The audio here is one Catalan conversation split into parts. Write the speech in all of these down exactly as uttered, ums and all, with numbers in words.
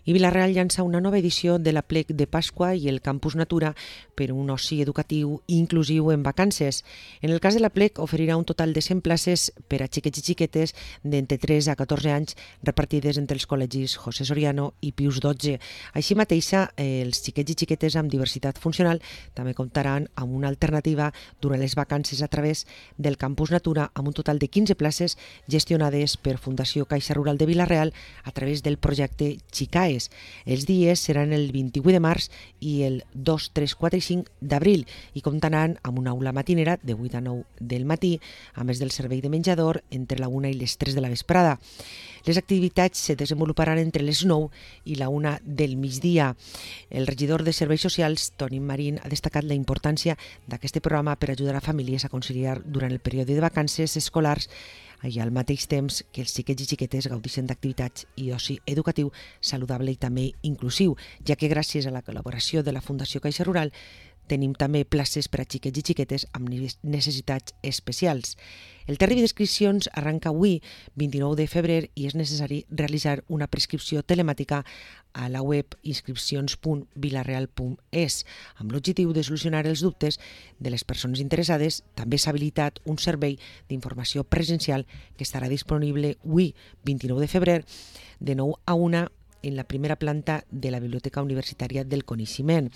I Vila-real llança una nova edició de l'Aplec de Pasqua i el Campus Natura per un oci educatiu inclusiu en vacances. En el cas de l'Aplec oferirà un total de cent places per a xiquets i xiquetes d'entre tres a catorze anys repartides entre els col·legis José Soriano i Pius dotze. Així mateixa, els xiquets i xiquetes amb diversitat funcional també comptaran amb una alternativa durant les vacances a través del Campus Natura amb un total de quinze places gestionades per Fundació Caixa Rural de Vila-real a través del projecte Xicae. Els dies seran el vint-i-vuit de març i el dos, tres, quatre i cinc d'abril i comptaran amb una aula matinera de vuit a nou del matí, a més del servei de menjador entre la una i les tres de la vesprada. Les activitats se desenvoluparan entre les nou i la una del migdia. El regidor de Serveis Socials, Toni Marín, ha destacat la importància d'aquest programa per ajudar a famílies a conciliar durant el període de vacances escolars i al mateix temps que els xiquets i xiquetes gaudeixen d'activitats i oci educatiu saludable i també inclusiu, ja que gràcies a la col·laboració de la Fundació Caixa Rural tenim també places per a xiquets i xiquetes amb necessitats especials. El termini d'inscripcions arranca avui, vint-i-nou de febrer, i és necessari realitzar una prescripció telemàtica a la web inscripcions punt vilareal punt es. Amb l'objectiu de solucionar els dubtes de les persones interessades, també s'ha habilitat un servei d'informació presencial que estarà disponible avui, vint-i-nou de febrer, de nou a una en la primera planta de la Biblioteca Universitària del Coneixement.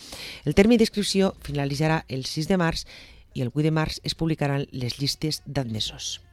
El termini d'inscripció finalitzarà el sis de març i el vuit de març es publicaran les llistes d'admesos.